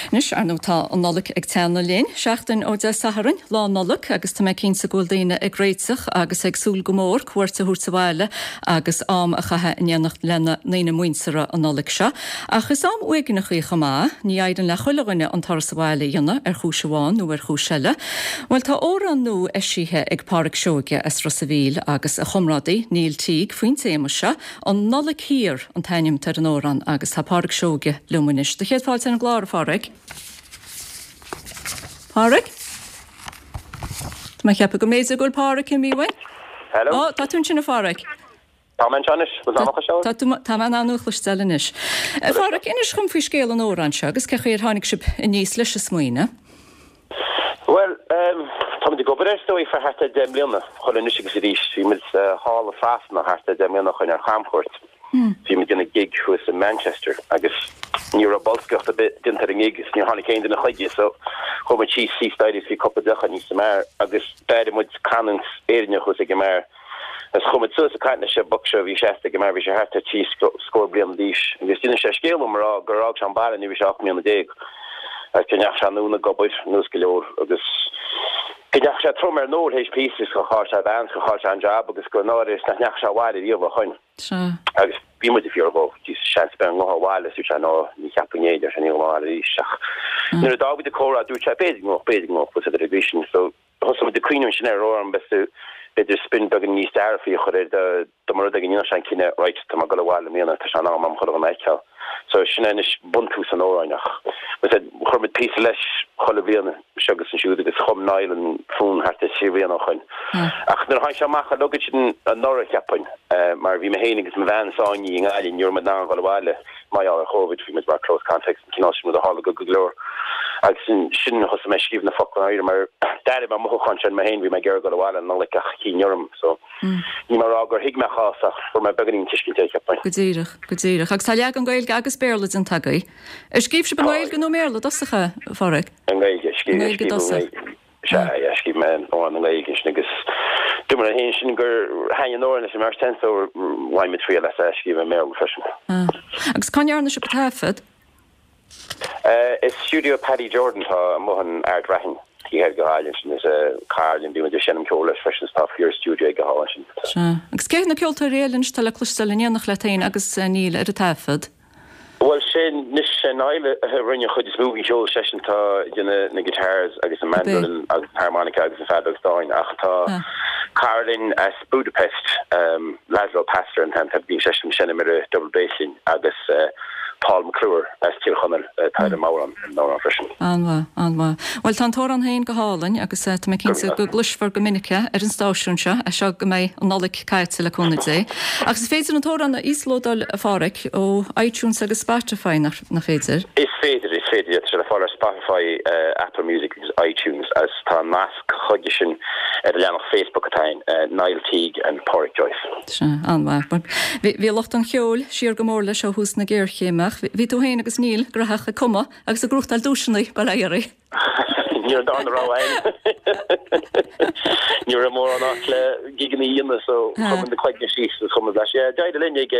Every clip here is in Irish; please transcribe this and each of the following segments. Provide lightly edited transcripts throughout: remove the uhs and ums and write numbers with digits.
Anois, ar ndóigh, tá an Nollaig ag teannadh linn, seachtain ó Dé Sathairn, Lá Nollag, agus tá mé cinnte go bhfuil daoine ag réiteach agus ag súil go mór cuairt a thabhairt abhaile agus am a chaitheamh in éineacht lena ndaoine muinteartha an Nollaig seo. Ach is am uaigneach í chomh maith. Ní éiríonn le chuile dhuine an turas abhaile a dhéanamh ar chúis amháin nó ar chúis eile. Bhuel, tá amhrán nua eisithe ag Páraic Seoige as Ros a' Mhíl agus a chomrádaí, Neil Teague, faoin téama seo, An Nollaig Thiar an t-ainm atá ar an amhrán agus tá Páraic Seoige liom anois. Do chéad fáilte ar an gclár, a Pháraic. Páraic? Tá mé ag ceapadh go mb'fhéidir go bhfuil Páraic imithe uainn. Hello. Ó, tá tú ansin, a Pháraic. Tá mé anseo anois. Bhfuil mé á chloisteáil? Tá tú, tá mé in ann thú a chloisteáil anois. A Pháraic, inis dhom faoi scéal an amhráin seo agus cé chaoi ar tháinig sibh aníos leis an smaoineamh. Bhuel, táimid ag obair air is dóigh fá thart ar 10 mbliana, chuile anois agus arís. Bhí muid thall i Sasana thart ar 10 mbliana ó shoin ar chamchuairt. Bhí muid ag déanamh gig thuas i Manchester agus ní raibh bolscaireacht ar bith déanta ar an ngig is níor tháinig aon duine chuige so chuaigh muid síos síos staighre is bhí cúpla deoch againn sa mbeár agus d'airigh muid canúint Éireannach thuas ag an mbeár. Agus chuaigh muid suas ag caint leis an boc seo a bhí seasta ag an mbeár, bhí sé thart ar thrí scór bliain d'aois, agus d'inis sé scéal dom ag rá gur fhág sé an baile nuair a bhí sé 18 mbliana agus go ndeachaigh sé anonn ag obair anuas go leor agus go ndeachaigh sé trom ar an ól théis píosa agus gur chaill sé a bhean, gur chaill sé an jab agus gur náire is nach ndeachaigh sé abhaile riamh ó shoin. Sea. Agus bhí muid ag fiafraí dhó, Jesus, seans ar bith an ngabhfá abhaile, is dúirt sé, no, ní cheapfainn é, deir sé, ní ghabhfainn abhaile arís. Ach nuair a d'fhág muid an comhrá, dúirt sé, b'fhéidir go ngabhfadh, b'fhéidir go ngabhfadh, bhfuil a fhios agat ar an gcaoi sin. So, Thosaigh muid ag cuimhneamh ansin ar amhrán b'fhéidir spin beagán níos dearfaí a chur air dá mba rud é go ndéanfadh sé an cinneadh right tá mé ag dul abhaile i mbliana tá sé in am a'm chuile dhuine a fheiceáil. So sin é anois buntús an amhráin ach like I said chuir muid píosa leis chuile bhliain seo agus ansiúd agus chum Niall an fonn thart ar thrí bhliana ó shoin. Ach nuair a tháinig sé amach uilig ansin anuraidh cheapfainn mar bhí mé féin agus mo bhean sáinnithe i nGaillimh ní raibh muid in ann dhul abhaile mar gheall ar Covid, bhí muid mar close contacts, an cineál sin rud a tharla go go leor. Agus ansin thosaigh mé ag scríobh na focla i ndáiríre mar d'airigh mé an mothúchán sin mé féin, bhí mé ag iarraidh dul abhaile an Nollaig ach chinn orm. So níl mé ag rá gur thuig mé a chás ach fuair mé beagáinín tuiscint air, cheapfainn. Go díreach, go díreach. Agus tá leagan Gaeilge agus Béarla déanta agaibh. Ar scríobh sibh i nGaeilge nó i mBéarla i dtosach é, a Pháraic? I nGaeilge, I nGaeilge i dtosach. Sea, yeah, scríobh mé an amhrán i nGaeilge ansin agus dúirt mé féin sin gur thaitin an amhrán leis an mbeirt againn so bhain muid triail as é a scríobh i mBéarla freisin. Ah. Agus cá ndearna sibh an taifead? I stiúideo Paddy Jordan atá amuigh in Ard Raithin, taobh thoir de Ghaillimh ansin. Is cara linn, bíonn muid ag seinm ceoil leis freisin is tá fíor stiúideo aige thall ansin. Sea. Agus cé hiad na ceoltóirí eile anois atá le cloisteáil in éineacht leat féin agus Neil ar an taifead? Bhuel, sé anois, sé Niall a rinne an chuid is mó den cheol, seisean atá ag déanamh na guitars agus an mandolin agus an harmonica agus an feadóg stáin ach tá cara linn as Budapest, Laszlo Pastor an t-ainm, bíonn seisean ag seinm ar an double bass linn agus Paul McClure as Tír Chonaill atá ar an mbodhrán, ar an amhrán freisin. An-mhaith, an-mhaith. Bhuel, tá an t-amhrán féin go hálainn agus tá mé cinnte go gcloisfear go minic é ar an stáisiún seo as seo go mbeidh an Nollaig caite le cúnamh Dé. Agus is féidir an t-amhrán a íoslódáil, a Pháraic, ó iTunes agus Spotify, nach féidir? Is féidir, is féidir, yeah. Tá sé le fáil ar Spotify, Apple Music agus iTunes agus tá nasc chuige sin ar an leathanach Facebook atá againn, Niall Teague and Pádraic Joyce. Sea, an-mhaith. Bhí lucht an cheoil siar go mór leis ó thús na géarchéime ach bhí tú féin agus Neil graitheach ag cumadh agus ag gnóthachtáil duaiseanna, bail ó Dhia oraibh. Ní raibh darna rogha againn. Ní raibh mórán áit le gigeanna a dhéanamh so chuir muid na cloigne síos agus chum muid leis. Yeah, d'éirigh linn ag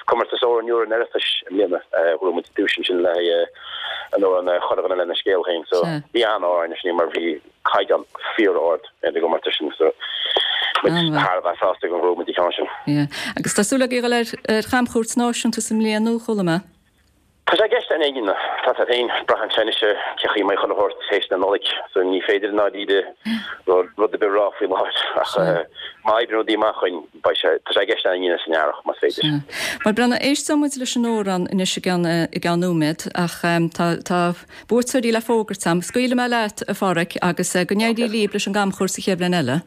comórtas Amhrán Úr an Oireachtais i mbliana. Bhuaigh muid duais ansin le haghaidh an amhrán Chuile Dhuine Lena Scéal Féin. So bhí an-ádh orainn sin mar bhí caighdeán fíor-ard ar an gcomórtas sin so muid thar a bheith sásta gur bhuaigh muid an ceann sin. Yeah. Agus tá súil agaibh a dhul ar chamchuairt náisiúnta i mbliana nó chuala mé? Tá sé i gceist againn, tá sé féin, braitheann sé anois ar cé chaoi a mbeidh chuile shórt théis na Nollag, so ní féidir i ndáiríre rud ar bith a rá faoi láthair ach má oibríonn rudaí amach chugainn, beidh sé, tá sé i gceist againn san earrach, más féidir. Sea. Bhuel, Breandán, éisteoidh muid leis an amhrán anois i gceann, i gceann nóiméad ach tá, tá buaiteoirí le fógairt agam. Scaoilfidh mé leat, a Pháraic, agus go n-éirí libh leis an gcamchuairt sa chéad bhliain eile.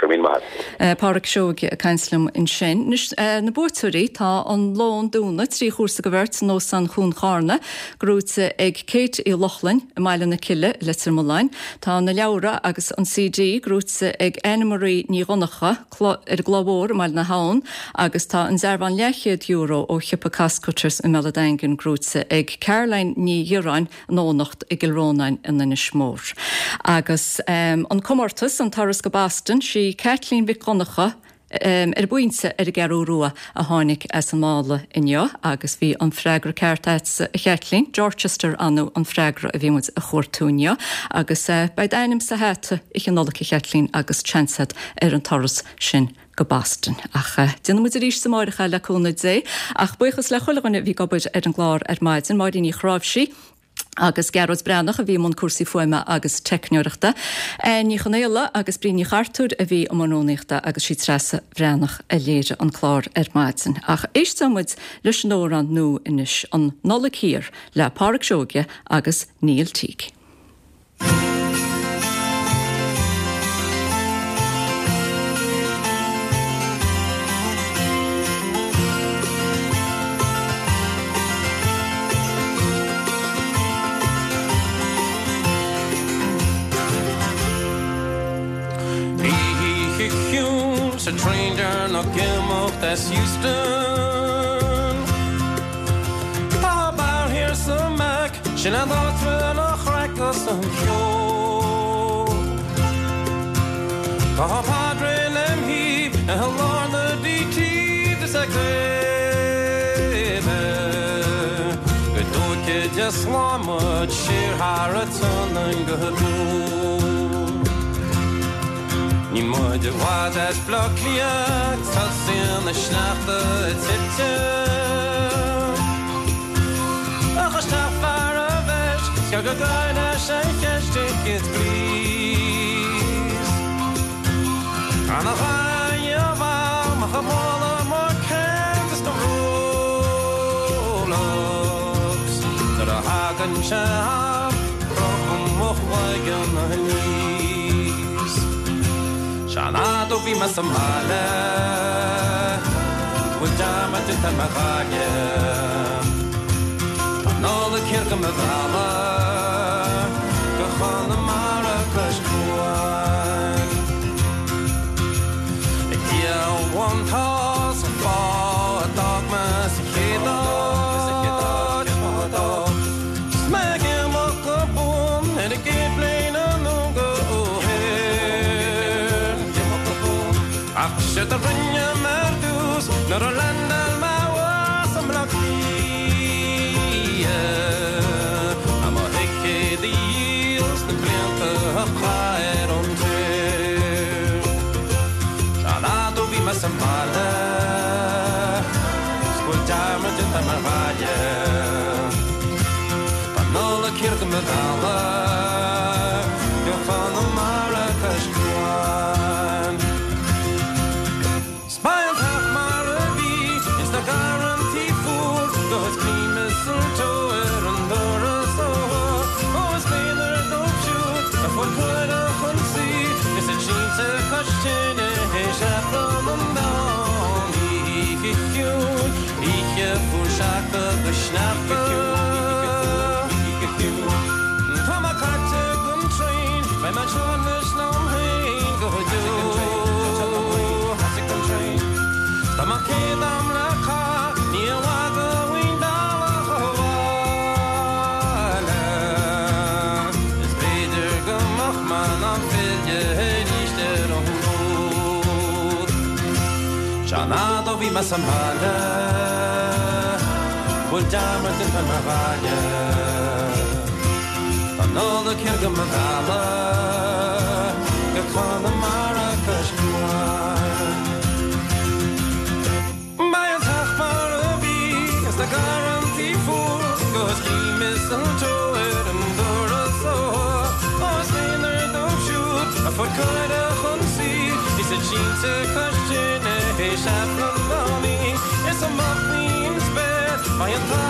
Go raibh míle maith agat. Páraic Seoige ag caint liom ansin. Anois, na buaiteoirí, tá an lón dúna, 3 chúrsa do bheirt in Óstán Chuan Charna, gnóite ag Kate Uí Lochlainn i mBaile na Cille i Leitir Mealláin. Tá na leabhra agus an CD gnóite ag Anne Marie Ní Dhonncha ar an gCloich Mhór i mBaile na hAbhann agus tá an dearbhán leathchéad euro ó shiopa Costcutters i mBéal an Daingin gnóite ag Caroline Ní Dhireáin in Eoghanacht i gCill Rónáin in Inis Mór. Agus an comórtas, an turas go Boston, sí Caitlín Mhic Dhonncha. ar an bpointe ar an gCeathrú Rua a tháinig as an mála inniu agus bhí an freagra ceart agatsa a Chaitlín, Dorchester anu an freagra a bhí muid a chuartú inniu agus beidh d'ainm sa hata Oíche Nollag a Chaitlín agus seans agat ar an turas sin go Boston. Ach déanfaidh muid arís amáireach é le cúnamh Dé. Ach buíochas le chuile dhuine a bhí ag obair ar an gclár ar maidin, Máirín Ní Chráimhsí, agus Gearóid Breathnach a bhí i mbun cúrsaí fuaime agus teicneoireachta, Anne Ní Chonaola agus Bríd Ní Chartúir a bhí i mbun rúnaíochta agus sí Treasa Bhreathnach a léirigh an clár ar maidin. Ach éisteoidh muid leis an amhrán nua anois, An Nollaig Thiar le Pádraic Seoige agus Neil Teague. Oíche chiúin sa traein deireanach ag imeacht as Heuston. Tá beár thiar sa mBeck, sin an áit bhfuil an chraic is an ceol. Tá Pádraig lem thaobh i lár na DT is ag caoineadh go dtóigfidh Dia slán muid siar thar an tSionainn go deo. Níl muid i bhfad as Bleá Cliath tosaíonn na sneachta ag titim. Ach isteach fear a bheis scair go gair leis an cheist ticket please. An a ghaibh amach a mholadh more cans na Rolex nuair a thagann sé am crochaim mo chloigeann aníos. Sean fhad ó bhí mé sa mbaile bhfuil dearmad déanta ar mo bhaile. Tá Nollaig thiar do mo mhealladh go Conamara cois cuain. A Dhia amháin tá 's an fáth a d'fhág mé sa chéad áit 's mé ag imeacht go buan ar an gcéad plane anonn go O'Hare. Ach séard a rinne mé ar dtús nuair a landáil mé abhus i mBleá Cliath ná mo thicéad a dhíol sna blianta a chaith ar an tír. Sean fhad ó bhí mé sa mbaile 's go bhfuil dearmad déanta ar mo bhaile. Tá Nollaig thiar do mo mhealladh go Conamara cois cuain. 'S beidh an teach mar a bhí ins na garrantaí fuar 'gus cloím mistletoe ar an doras ó ó is méanar dóibh siúd a fuair cuireadh chun suí is iad sínte cois tine théis Aifreann an mheán oíche chiúin oíche fuar seaca go sneachta Tá mé caite den traein beidh mé anseo anois liom féin go deo Tá mé céad am le cath ní i bhfad uainn bealach abhaile Is b'fhéidir go mbeadh mé in ann filleadh arís ar an bhfód Sean fhad ó bhí mé sa mbaile Bhfuil dearmad déanta ar mo bhaile Tá Nollaig thiar do mo mhealladh Go Conamara cois cuain Beidh an teach mar a bhí ins na garrantaí fuar 'Gus cloím mistletoe ar an doras ó Ó is méanar dóibh siúd a fuair cuireadh chun suí Is iad sínte cois tine théis Aifreann an mheán oíche Is amach faoin spéir beidh an t-.